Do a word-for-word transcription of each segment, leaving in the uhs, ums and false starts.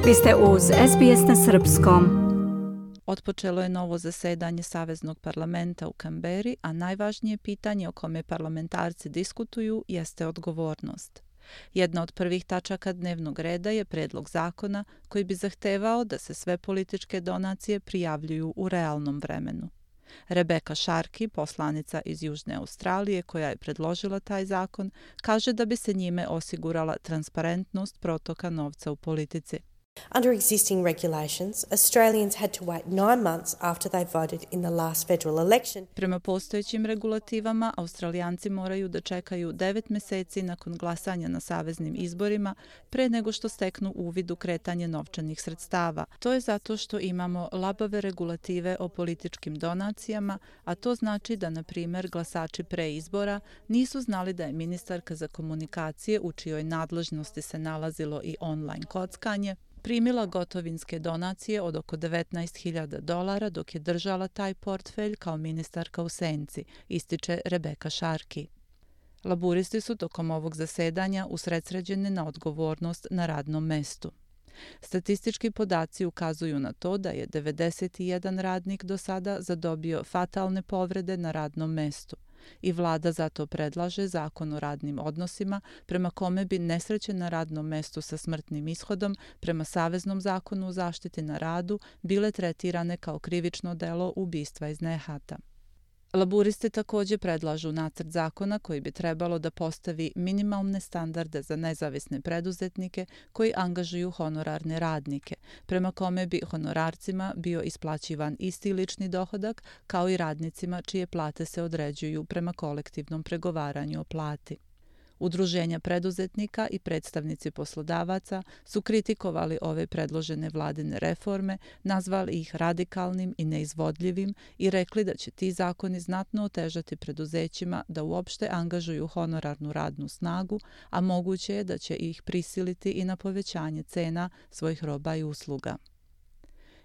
Vi ste uz S B S na srpskom. Otpočelo je novo zasedanje Saveznog parlamenta u Kamberi, a najvažnije pitanje o kome parlamentarci diskutuju jeste odgovornost. Jedna od prvih tačaka dnevnog reda je predlog zakona koji bi zahtevao da se sve političke donacije prijavljuju u realnom vremenu. Rebeka Sharkey, poslanica iz Južne Australije koja je predložila taj zakon, kaže da bi se njime osigurala transparentnost protoka novca u politici. Under existing regulations, Australians had to wait nine months after they voted in the last federal election. Prema postojećim regulativama, Australijanci moraju da čekaju devet meseci nakon glasanja na saveznim izborima pre nego što steknu uvid u kretanje novčanih sredstava. To je zato što imamo labave regulative o političkim donacijama, a to znači da, na primjer, glasači pre izbora nisu znali da je ministarka za komunikacije, u čijoj nadležnosti se nalazilo i online kockanje, primila gotovinske donacije od oko devetnaest hiljada dolara dok je držala taj portfelj kao ministarka u senci, ističe Rebeka Sharkey. Laburisti su tokom ovog zasedanja usredsređeni na odgovornost na radnom mestu. Statistički podaci ukazuju na to da je devedeset jedan radnik do sada zadobio fatalne povrede na radnom mestu i vlada zato predlaže zakon o radnim odnosima prema kome bi nesreće na radnom mestu sa smrtnim ishodom prema Saveznom zakonu o zaštiti na radu bile tretirane kao krivično delo ubistva iz nehata. Laburisti također predlažu nacrt zakona koji bi trebalo da postavi minimalne standarde za nezavisne preduzetnike koji angažuju honorarne radnike, prema kome bi honorarcima bio isplaćivan isti lični dohodak kao i radnicima čije plate se određuju prema kolektivnom pregovaranju o plati. Udruženja preduzetnika i predstavnici poslodavaca su kritikovali ove predložene vladine reforme, nazvali ih radikalnim i neizvodljivim i rekli da će ti zakoni znatno otežati preduzećima da uopšte angažuju honorarnu radnu snagu, a moguće je da će ih prisiliti i na povećanje cena svojih roba i usluga.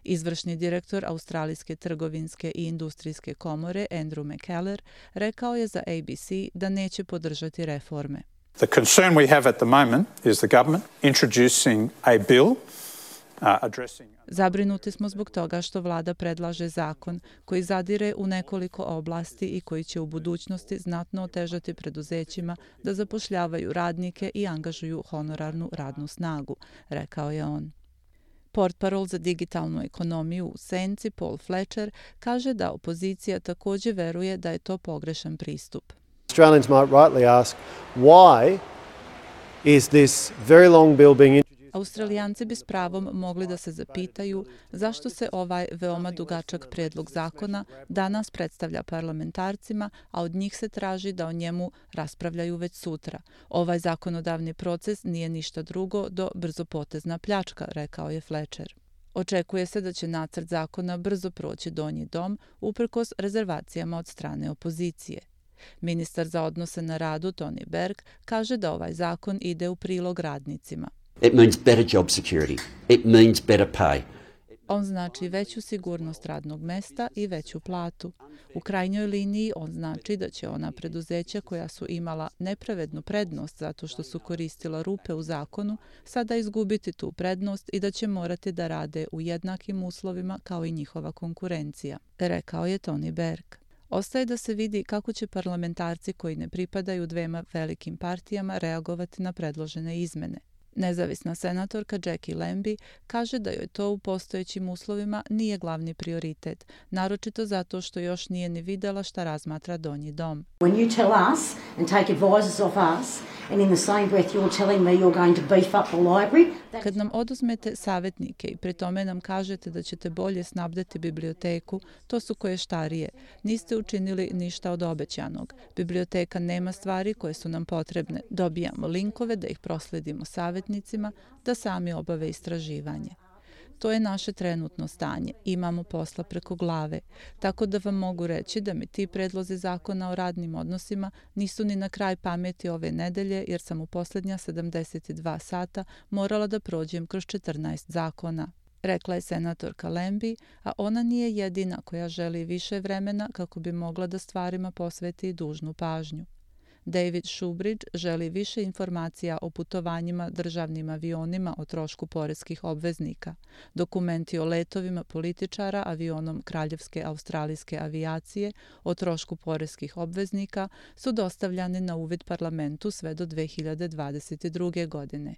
Izvršni direktor Australijske trgovinske i industrijske komore Andrew McKellar rekao je za A B C da neće podržati reforme. The concern we have at the moment is the government introducing a bill uh, addressing Zabrinuti smo zbog toga što vlada predlaže zakon koji zadire u nekoliko oblasti i koji će u budućnosti znatno otežati preduzećima da zapošljavaju radnike i angažuju honorarnu radnu snagu, rekao je on. Portparol za digitalnu ekonomiju u senci Paul Fletcher kaže da opozicija također veruje da je to pogrešan pristup. Australians might rightly ask why is this very long bill being introduced? Australijanci bi s pravom mogli da se zapitaju zašto se ovaj veoma dugačak prijedlog zakona danas predstavlja parlamentarcima, a od njih se traži da o njemu raspravljaju već sutra. Ovaj zakonodavni proces nije ništa drugo do brzopotezna pljačka, rekao je Fletcher. Očekuje se da će nacrt zakona brzo proći donji dom, uprkos rezervacijama od strane opozicije. Ministar za odnose na radu Tony Berg kaže da ovaj zakon ide u prilog radnicima. It means better job security. It means better pay. On znači veću sigurnost radnog mesta i veću platu. U krajnjoj liniji on znači da će ona preduzeća koja su imala nepravednu prednost zato što su koristila rupe u zakonu sada izgubiti tu prednost i da će morati da rade u jednakim uslovima kao i njihova konkurencija, rekao je Tony Berg. Ostaje da se vidi kako će parlamentarci koji ne pripadaju dvema velikim partijama reagovati na predložene izmene. Nezavisna senatorka Jackie Lambie kaže da joj to u postojećim uslovima nije glavni prioritet, naročito zato što još nije ni videla šta razmatra donji dom. When you tell us and take advices off us and in the same breath you're telling me you're going to beef up the library. Kad nam oduzmete savjetnike i pri tome nam kažete da ćete bolje snabdeti biblioteku, to su koještarije. Niste učinili ništa od obećanog. Biblioteka nema stvari koje su nam potrebne. Dobijamo linkove da ih prosledimo savjetnicima da sami obave istraživanje. To je naše trenutno stanje. Imamo posla preko glave. Tako da vam mogu reći da mi ti predlozi zakona o radnim odnosima nisu ni na kraj pameti ove nedelje, jer sam u posljednja sedamdeset dva sata morala da prođem kroz četrnaest zakona. Rekla je senatorka Lambie, a ona nije jedina koja želi više vremena kako bi mogla da stvarima posveti dužnu pažnju. David Shoebridge želi više informacija o putovanjima državnim avionima o trošku poreskih obveznika. Dokumenti o letovima političara avionom Kraljevske australijske avijacije o trošku poreskih obveznika su dostavljani na uvid parlamentu sve do dve hiljade dvadeset druge. godine.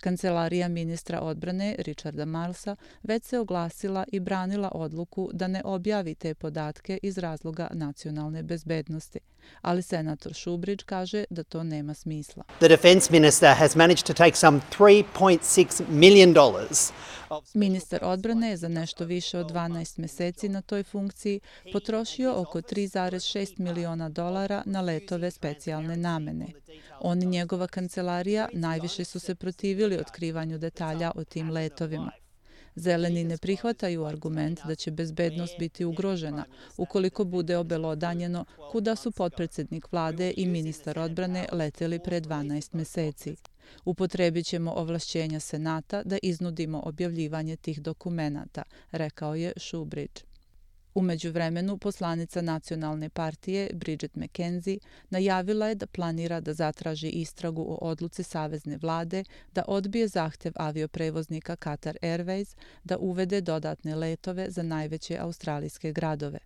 Kancelarija ministra odbrane Richarda Marlesa već se oglasila i branila odluku da ne objavi te podatke iz razloga nacionalne bezbednosti, ali senator Shoebridge kaže da to nema smisla. The defence minister has managed to take some three point six million dollars. Ministar odbrane je za nešto više od dvanaest meseci na toj funkciji potrošio oko tri zarez šest miliona dolara na letove specijalne namene. On i njegova kancelarija najviše su se protivili otkrivanju detalja o tim letovima. Zeleni ne prihvataju argument da će bezbednost biti ugrožena ukoliko bude obelodanjeno kuda su potpredsednik vlade i ministar odbrane leteli pre dvanaest meseci. Upotrebit ćemo ovlašćenja Senata da iznudimo objavljivanje tih dokumenata, rekao je Shoebridge. U međuvremenu, poslanica nacionalne partije Bridget McKenzie najavila je da planira da zatraži istragu o odluci savezne vlade da odbije zahtev avioprevoznika Qatar Airways da uvede dodatne letove za najveće australijske gradove.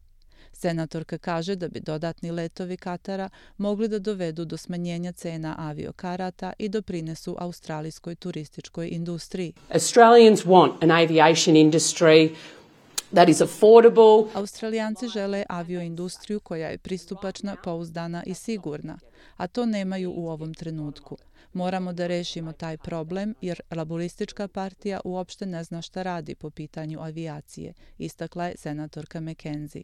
Senatorka kaže da bi dodatni letovi Katara mogli da dovedu do smanjenja cena aviokarata i doprinesu australijskoj turističkoj industriji. Australians want an aviation industry that is affordable. Australijanci žele avioindustriju koja je pristupačna, pouzdana i sigurna, a to nemaju u ovom trenutku. Moramo da rešimo taj problem jer Laboristička partija uopšte ne zna šta radi po pitanju avijacije, istakla je senatorka McKenzie.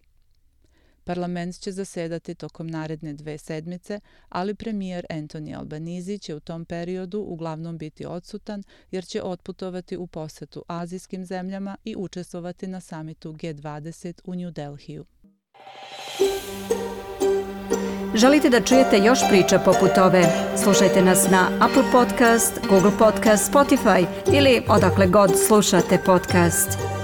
Parlament će zasedati tokom naredne dve sedmice, ali premijer Anthony Albanese će u tom periodu uglavnom biti odsutan jer će otputovati u posetu azijskim zemljama i učestvovati na samitu G dvadeset u New Delhiju. Želite da čujete još priča poput ove? Slušajte nas na Apple Podcast, Google Podcast, Spotify ili odakle god slušate podcast.